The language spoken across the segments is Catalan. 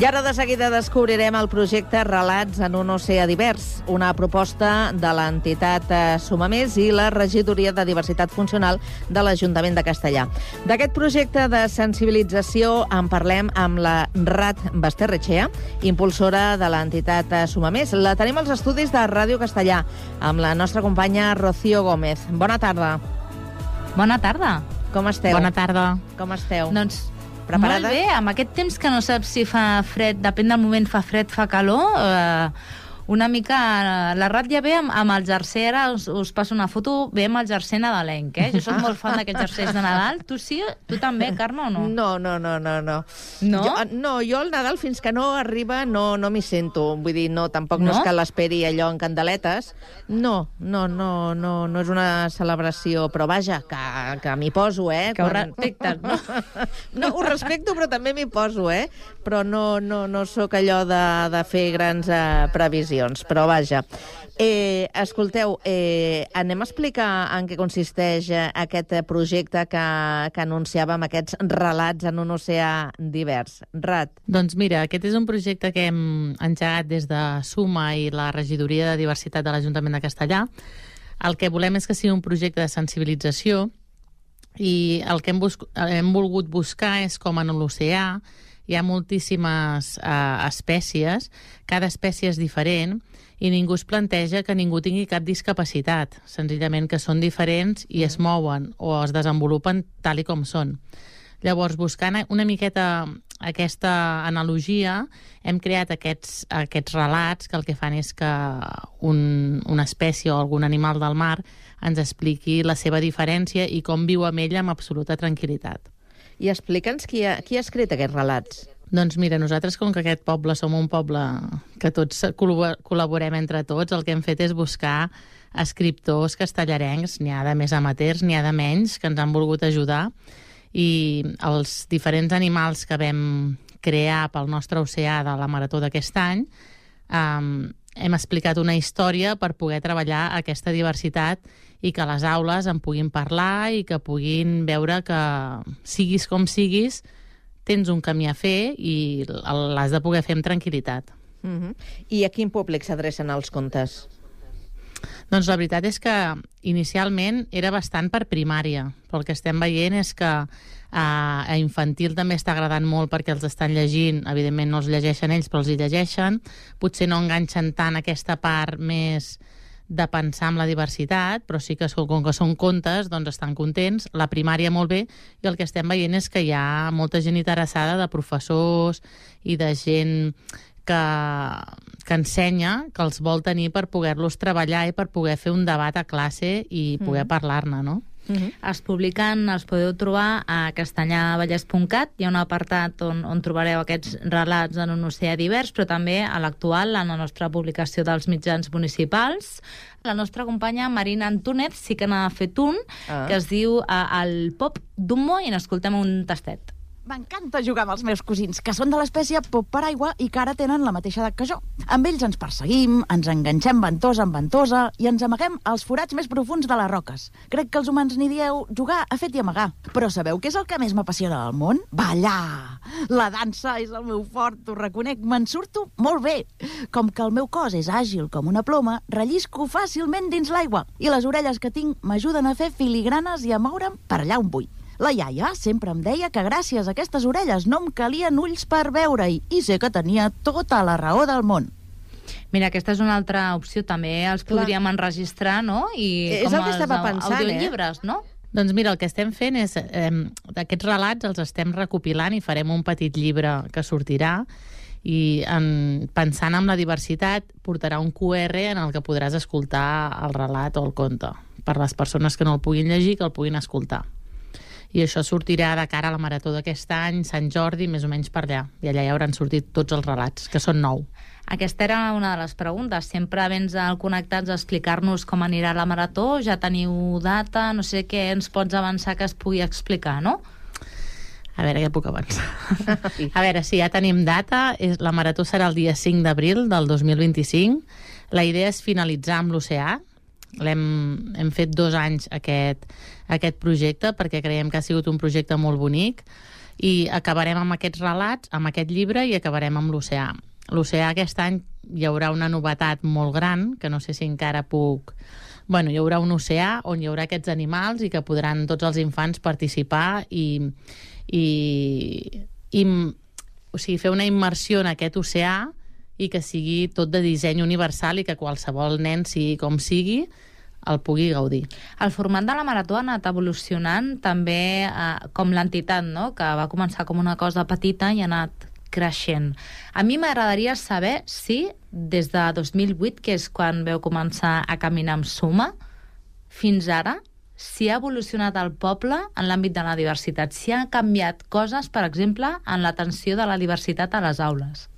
ara de seguida descobrirem el projecte Relats en un oceà divers, una proposta de l'entitat Sumamés i la Regidoria de Diversitat Funcional de l'Ajuntament de Castellar. D'aquest projecte de sensibilització en parlem amb la Rat Basterrechea, impulsora de l'entitat Sumamés. La tenim als estudis de Ràdio Castellar, amb la nostra companya Rocío Gómez. Bona tarda. Bona tarda. Com esteu? Bona tarda. Com esteu? Doncs preparades? Molt bé, amb aquest temps que no saps si fa fred, depèn del moment, fa fred, fa calor, una mica... La Rat ja ve amb el jersei, ara us passo una foto, ve amb el jersei nadalenc, Jo soc molt fan d'aquests jerseis de Nadal. Tu sí? Tu també, Carme, o no? No. No? Jo el Nadal, fins que no arriba, no m'hi sento. Vull dir, no, tampoc no és que l'esperi allò en candeletes. No és una celebració, però vaja, que m'hi poso, Que ho respectes, no? No, ho respecto, però també m'hi poso, Però no sóc allò de fer grans previsions. Però vaja, escolteu, anem a explicar en què consisteix aquest projecte que anunciàvem, aquests relats en un oceà divers. Rat. Doncs mira, aquest és un projecte que hem engegat des de Suma i la Regidoria de Diversitat de l'Ajuntament de Castellar. El que volem és que sigui un projecte de sensibilització i el que hem volgut buscar és com en l'oceà hi ha moltíssimes espècies, cada espècie és diferent i ningú es planteja que ningú tingui cap discapacitat, senzillament que són diferents i es mouen o es desenvolupen tal i com són. Llavors, buscant una miqueta aquesta analogia, hem creat aquests relats que el que fan és que una espècie o algun animal del mar ens expliqui la seva diferència i com viu amb ella amb absoluta tranquil·litat. I explica'ns qui ha escrit aquests relats. Doncs mira, nosaltres, com que aquest poble som un poble que tots col·laborem entre tots, el que hem fet és buscar escriptors castellarencs, n'hi ha de més amateurs, n'hi ha de menys, que ens han volgut ajudar, i els diferents animals que vam crear pel nostre oceà de la marató d'aquest any, hem explicat una història per poder treballar aquesta diversitat i que les aules en puguin parlar i que puguin veure que siguis com siguis, tens un camí a fer i l'has de poder fer amb tranquil·litat. I a quin públic s'adrecen els contes? Doncs la veritat és que inicialment era bastant per primària, però el que estem veient és que a infantil també està agradant molt perquè els estan llegint, evidentment no els llegeixen ells, però els hi llegeixen, potser no enganxen tant aquesta part més de pensar en la diversitat, però sí que com que són contes, doncs estan contents, la primària molt bé, i el que estem veient és que hi ha molta gent interessada de professors i de gent que ensenya, que els vol tenir per poder-los treballar i per poder fer un debat a classe i poder parlar-ne, no? Es publiquen, els podeu trobar a castellarvallès.cat, hi ha un apartat on trobareu aquests relats en un oceà divers, però també a l'actual, en la nostra publicació dels mitjans municipals. La nostra companya Marina Antúnez sí que n'ha fet un, que es diu El pop d'Hummo, i n'escoltem un tastet. M'encanta jugar amb els meus cosins, que són de l'espècie pop paraigua i que ara tenen la mateixa edat que jo. Amb ells ens perseguim, ens enganxem ventosa amb ventosa i ens amaguem als forats més profuns de les roques. Crec que els humans n'hi dieu jugar a fet i amagar. Però sabeu què és el que més m'apassiona del món? Ballar! La dansa és el meu fort, ho reconec, me'n surto molt bé. Com que el meu cos és àgil com una ploma, rellisco fàcilment dins l'aigua i les orelles que tinc m'ajuden a fer filigranes i a moure'm per allà on vull. La iaia sempre em deia que gràcies a aquestes orelles no em calien ulls per veure-hi i sé que tenia tota la raó del món. Mira, aquesta és una altra opció, també els podríem enregistrar, no? És el que estava pensant, audiollibres, no? Doncs mira, el que estem fent és, aquests relats els estem recopilant i farem un petit llibre que sortirà i pensant en la diversitat portarà un QR en el que podràs escoltar el relat o el conte per les persones que no el puguin llegir, que el puguin escoltar. I això sortirà de cara a la marató d'aquest any, Sant Jordi, més o menys per allà. I allà hi hauran sortit tots els relats, que són 9. Aquesta era una de les preguntes. Sempre vens al Connectats a explicar-nos com anirà la marató. Ja teniu data? No sé què ens pots avançar que es pugui explicar, no? A veure, què puc avançar? A veure, sí, ja tenim data. La marató serà el dia 5 d'abril del 2025. La idea és finalitzar amb l'oceà. Hem fet 2 anys aquest projecte perquè creiem que ha sigut un projecte molt bonic I acabarem amb aquests relats, amb aquest llibre, i acabarem amb l'oceà. L'oceà aquest any hi haurà una novetat molt gran, que no sé si encara puc... Bueno, hi haurà un oceà on hi haurà aquests animals i que podran tots els infants participar i o sigui, fer una immersió en aquest oceà i que sigui tot de disseny universal i que qualsevol nen, sigui com sigui, el pugui gaudir. El format de la marató ha anat evolucionant també com l'entitat, no? Que va començar com una cosa petita i ha anat creixent. A mi m'agradaria saber si des de 2008, que és quan veu començar a caminar amb Suma, fins ara, si ha evolucionat el poble en l'àmbit de la diversitat, si ha canviat coses, per exemple, en l'atenció de la diversitat a les aules.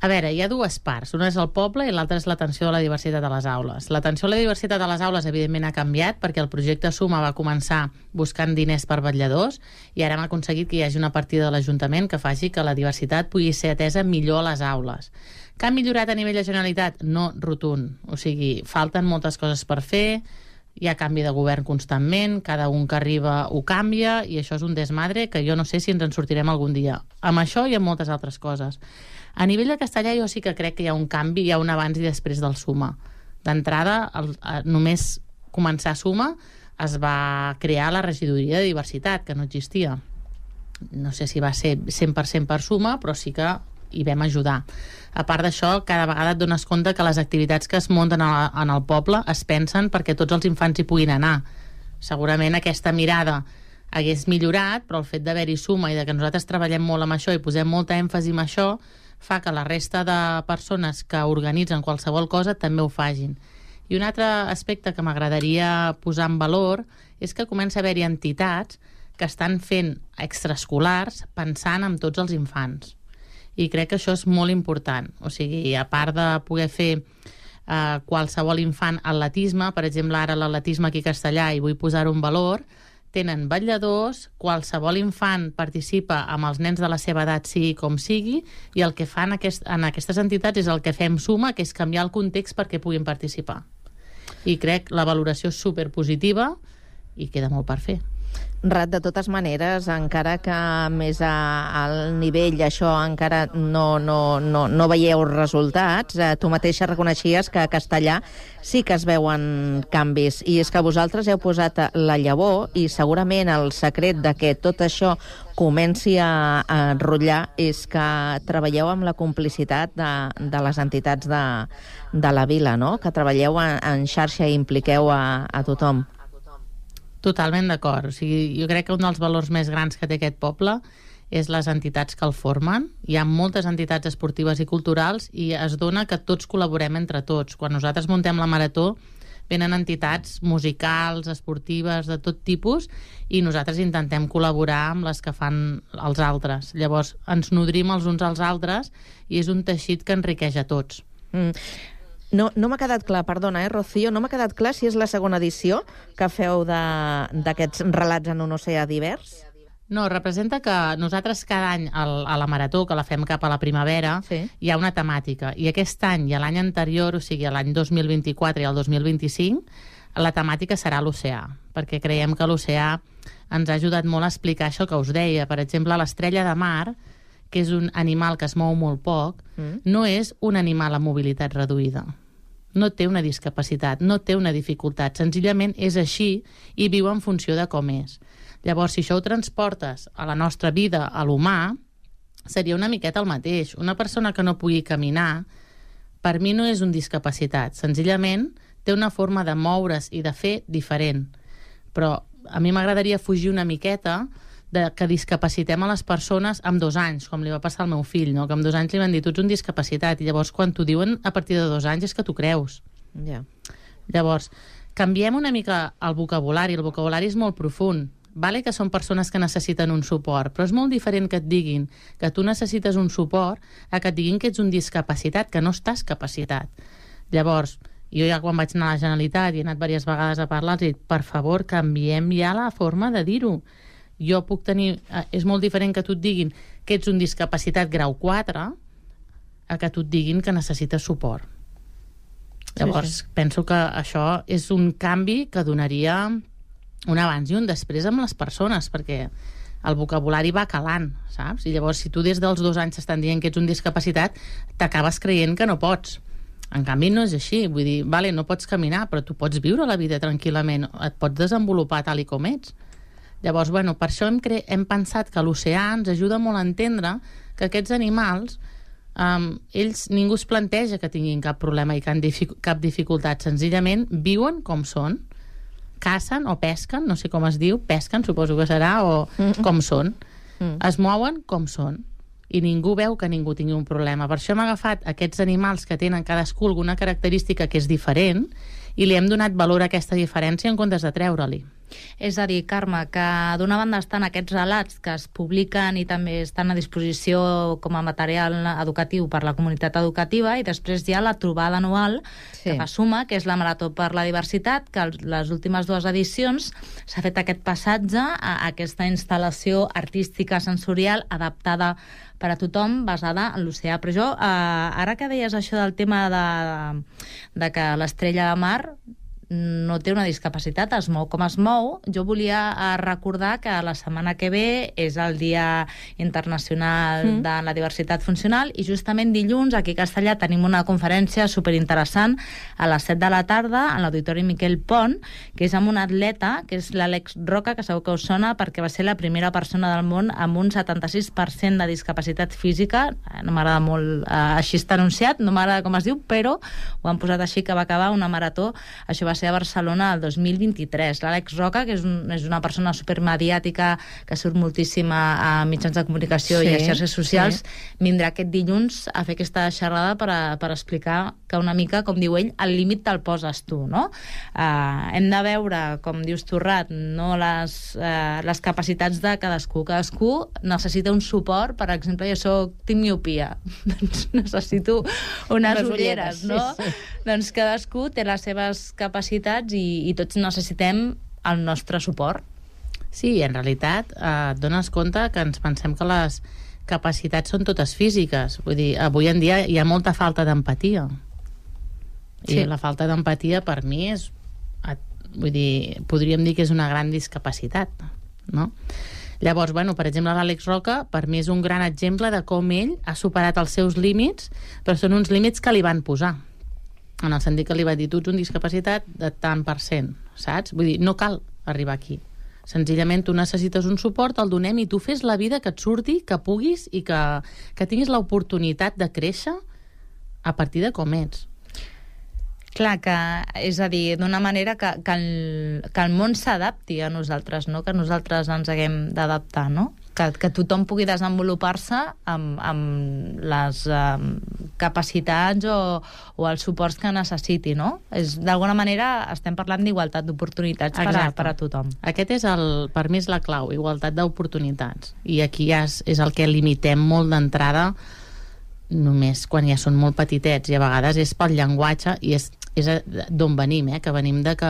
A veure, hi ha dues parts. Una és el poble i l'altra és l'atenció a la diversitat a les aules. L'atenció a la diversitat a les aules, evidentment, ha canviat perquè el projecte Suma va començar buscant diners per vetlladors i ara hem aconseguit que hi hagi una partida de l'Ajuntament que faci que la diversitat pugui ser atesa millor a les aules. Que ha millorat a nivell de Generalitat? No rotund. O sigui, falten moltes coses per fer, hi ha canvi de govern constantment, cada un que arriba ho canvia i això és un desmadre que jo no sé si ens en sortirem algun dia. Amb això i amb moltes altres coses. A nivell de castellà jo sí que crec que hi ha un canvi, hi ha un abans i després del Suma. D'entrada, només començar Suma es va crear la regidoria de diversitat, que no existia. No sé si va ser 100% per Suma, però sí que hi vam ajudar. A part d'això, cada vegada et dones compte que les activitats que es munten en el poble es pensen perquè tots els infants hi puguin anar. Segurament aquesta mirada hagués millorat, però el fet d'haver-hi Suma i de que nosaltres treballem molt amb això i posem molta èmfasi en això fa que la resta de persones que organitzen qualsevol cosa també ho facin. I un altre aspecte que m'agradaria posar en valor és que comença a haver-hi entitats que estan fent extraescolars pensant en tots els infants. I crec que això és molt important. O sigui, a part de poder fer qualsevol infant atletisme, per exemple, ara l'atletisme aquí a Castellà, i vull posar-ho en valor, tenen vetlladors, qualsevol infant participa amb els nens de la seva edat, sigui com sigui, i el que fan en aquestes entitats és el que fem Suma, que és canviar el context perquè puguin participar. I crec que la valoració és superpositiva i queda molt per fer. Rat, de totes maneres, encara que més al nivell això encara no veieu resultats, tu mateixa reconeixies que a Castellà sí que es veuen canvis, i és que vosaltres heu posat la llavor i segurament el secret de que tot això comenci a enrotllar és que treballeu amb la complicitat de les entitats de la vila, no? Que treballeu en xarxa i impliqueu a tothom. Totalment d'acord. O sigui, jo crec que un dels valors més grans que té aquest poble és les entitats que el formen. Hi ha moltes entitats esportives i culturals i es dona que tots col·laborem entre tots. Quan nosaltres muntem la marató venen entitats musicals, esportives, de tot tipus, i nosaltres intentem col·laborar amb les que fan els altres. Llavors ens nodrim els uns als altres i és un teixit que enriqueix a tots. No m'ha quedat clar, perdona, Rocío, no m'ha quedat clar si és la segona edició que feu d'aquests relats en un oceà divers? No, representa que nosaltres cada any a la marató, que la fem cap a la primavera, sí, hi ha una temàtica. I aquest any i l'any anterior, o sigui, l'any 2024 i el 2025, la temàtica serà l'oceà, perquè creiem que l'oceà ens ha ajudat molt a explicar això que us deia. Per exemple, l'estrella de mar, que és un animal que es mou molt poc, no és un animal amb mobilitat reduïda. No té una discapacitat, no té una dificultat. Senzillament és així i viu en funció de com és. Llavors, si això ho transportes a la nostra vida, a l'humà, seria una miqueta el mateix. Una persona que no pugui caminar, per mi no és un discapacitat. Senzillament té una forma de moure's i de fer diferent. Però a mi m'agradaria fugir una miqueta que discapacitem a les persones amb 2 anys, com li va passar al meu fill, no? Que amb 2 anys li van dir, tu ets un discapacitat, i llavors quan t'ho diuen a partir de 2 anys és que t'ho creus. Yeah. Llavors, canviem una mica el vocabulari és molt profund. Vale que són persones que necessiten un suport, però és molt diferent que et diguin que tu necessites un suport a que et diguin que ets un discapacitat, que no estàs capacitat. Llavors, jo ja quan vaig anar a la Generalitat i he anat diverses vegades a parlar, els he dit, per favor, canviem ja la forma de dir-ho. Jo puc tenir... És molt diferent que tu et diguin que ets un discapacitat grau 4 a que tu et diguin que necessites suport. Llavors, penso que això és un canvi que donaria un abans i un després amb les persones, perquè el vocabulari va calant, saps? I llavors, si tu des dels 2 anys t'estan dient que ets un discapacitat, t'acabes creient que no pots. En canvi, no és així. Vull dir, vale, no pots caminar, però tu pots viure la vida tranquil·lament, et pots desenvolupar tal i com ets. Llavors, bueno, per això hem pensat que l'oceà ens ajuda molt a entendre que aquests animals, ells, ningú es planteja que tinguin cap problema i cap dificultat. Senzillament viuen com són, cacen o pesquen, no sé com es diu, pesquen, suposo que serà, o com són. Es mouen com són. I ningú veu que ningú tingui un problema. Per això hem agafat aquests animals que tenen cadascú alguna característica que és diferent i li hem donat valor a aquesta diferència en comptes de treure-li. És a dir, Carme, que d'una banda estan aquests relats que es publiquen i també estan a disposició com a material educatiu per la comunitat educativa, i després hi ha la trobada anual que fa Suma, que és la Marató per la Diversitat, que les últimes 2 edicions s'ha fet aquest passatge a aquesta instal·lació artística sensorial adaptada per a tothom, basada en l'oceà. Però jo, ara que deies això del tema de que l'estrella de mar no té una discapacitat, es mou com es mou, jo volia recordar que la setmana que ve és el Dia Internacional de la Diversitat Funcional, i justament dilluns aquí a Castellà tenim una conferència superinteressant a les 7 de la tarda a l'Auditori Miquel Pont, que és amb un atleta, que és l'Àlex Roca, que segur que us sona perquè va ser la primera persona del món amb un 76% de discapacitat física. No m'agrada molt així està anunciat, no m'agrada com es diu, però ho han posat així, que va acabar una marató. Això va ser a Barcelona el 2023. L'Àlex Roca, que és una persona supermediàtica, que surt moltíssim a mitjans de comunicació i a xarxes socials, vindrà aquest dilluns a fer aquesta xerrada per explicar que una mica, com diu ell, el límit te'l poses tu, no? Hem de veure, com dius tu, Rat, no les capacitats de cadascú. Cadascú necessita un suport. Per exemple, jo tinc miopia, doncs necessito unes ulleres, no? Doncs cadascú té les seves capacitats i tots necessitem el nostre suport. Sí, en realitat et dones compte que ens pensem que les capacitats són totes físiques. Vull dir, avui en dia hi ha molta falta d'empatia. I la falta d'empatia per mi és, vull dir, podríem dir que és una gran discapacitat, no? Llavors, bueno, per exemple, l'Àlex Roca per mi és un gran exemple de com ell ha superat els seus límits, però són uns límits que li van posar. En el sentit que li va dir, tu ets un discapacitat de tant %, saps? Vull dir, no cal arribar aquí. Senzillament tu necessites un suport, el donem i tu fes la vida que et surti, que puguis i que tinguis l'oportunitat de créixer a partir de com ets. Clar, és a dir, d'una manera que el món s'adapti a nosaltres, no? Que nosaltres ens haguem d'adaptar, no? Que tothom pugui desenvolupar-se amb les capacitats o els suports que necessiti, no? D'alguna manera estem parlant d'igualtat d'oportunitats per a tothom. Aquest és per mi és la clau, igualtat d'oportunitats. I aquí és el que limitem molt d'entrada, només quan ja són molt petitets, i a vegades és pel llenguatge, i és d'on venim, que venim de que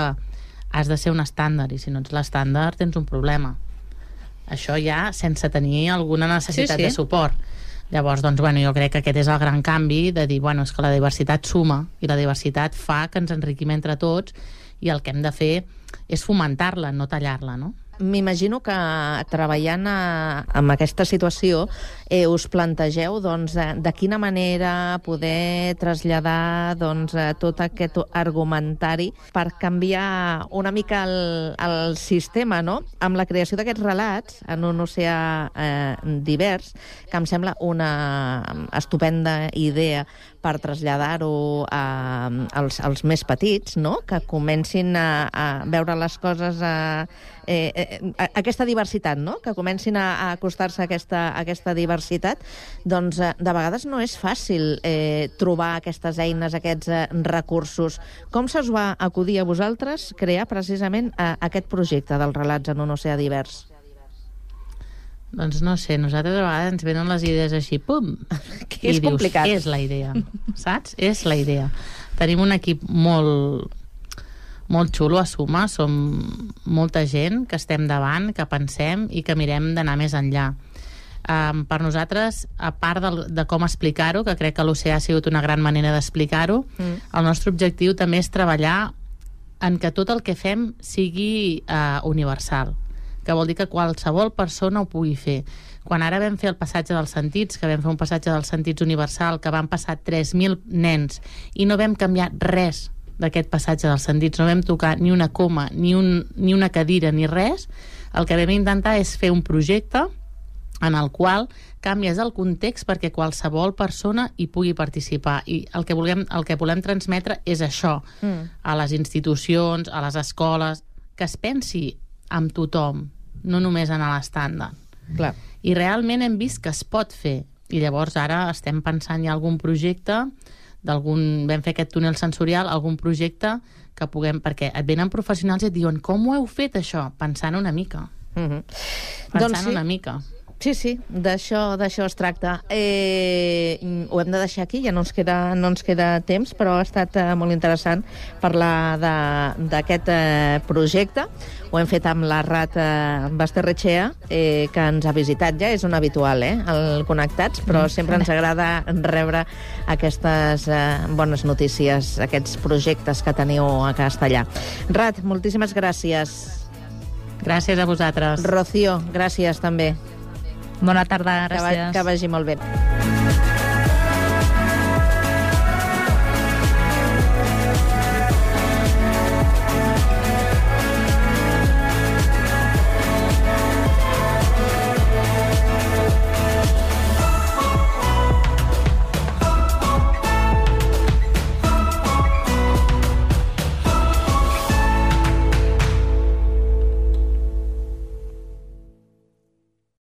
has de ser un estàndard, i si no ets l'estàndard tens un problema. Això ja sense tenir alguna necessitat de suport. Llavors, doncs, bueno, jo crec que aquest és el gran canvi de dir, bueno, és que la diversitat suma i la diversitat fa que ens enriquim entre tots i el que hem de fer és fomentar-la, no tallar-la, no? M'imagino que treballant amb aquesta situació us plantegeu de quina manera poder traslladar tot aquest argumentari per canviar una mica el sistema, no? Amb la creació d'aquests relats en un oceà divers, que em sembla una estupenda idea per traslladar-ho als més petits, no? Que comencin a veure les coses aquesta diversitat, no? Que comencin a acostar-se a aquesta diversitat. Doncs de vegades no és fàcil trobar aquestes eines, aquests recursos. Com se us va acudir a vosaltres crear precisament aquest projecte dels relats en un oceà divers? Doncs no sé, nosaltres a vegades ens venen les idees així, pum! Que és complicat. És la idea, saps? És la idea. Tenim un equip molt xulo a Suma, som molta gent que estem davant, que pensem i que mirem d'anar més enllà. Per nosaltres, a part de com explicar-ho, que crec que l'oceà ha sigut una gran manera d'explicar-ho, el nostre objectiu també és treballar en que tot el que fem sigui universal, que vol dir que qualsevol persona ho pugui fer. Quan ara vam fer el passatge dels sentits, que vam fer un passatge dels sentits universal, que van passar 3.000 nens i no vam canviar res d'aquest passatge dels sentits, no vam tocar ni una coma, ni una cadira, ni res, el que vam intentar és fer un projecte en el qual canvies el context perquè qualsevol persona hi pugui participar. I el que volem transmetre és això a les institucions, a les escoles, que es pensi en tothom, no només en l'estàndard. Clar. I realment hem vist que es pot fer. I llavors ara estem pensant en algun projecte, vam fer aquest túnel sensorial, algun projecte que puguem... Perquè et venen professionals i et diuen com ho heu fet, això? Pensant una mica. Una mica. Sí, d'això es tracta. Ho hem de deixar aquí, ja no ens queda temps, però ha estat molt interessant parlar d'aquest projecte. Ho hem fet amb la Rat Basterrechea, que ens ha visitat ja, és un habitual, al Connectats, però sempre ens agrada rebre aquestes bones notícies, aquests projectes que teniu a Castellar. Rat, moltíssimes gràcies. Gràcies a vosaltres. Rocío, gràcies també. Bona tarda, gràcies. Que vagi molt bé.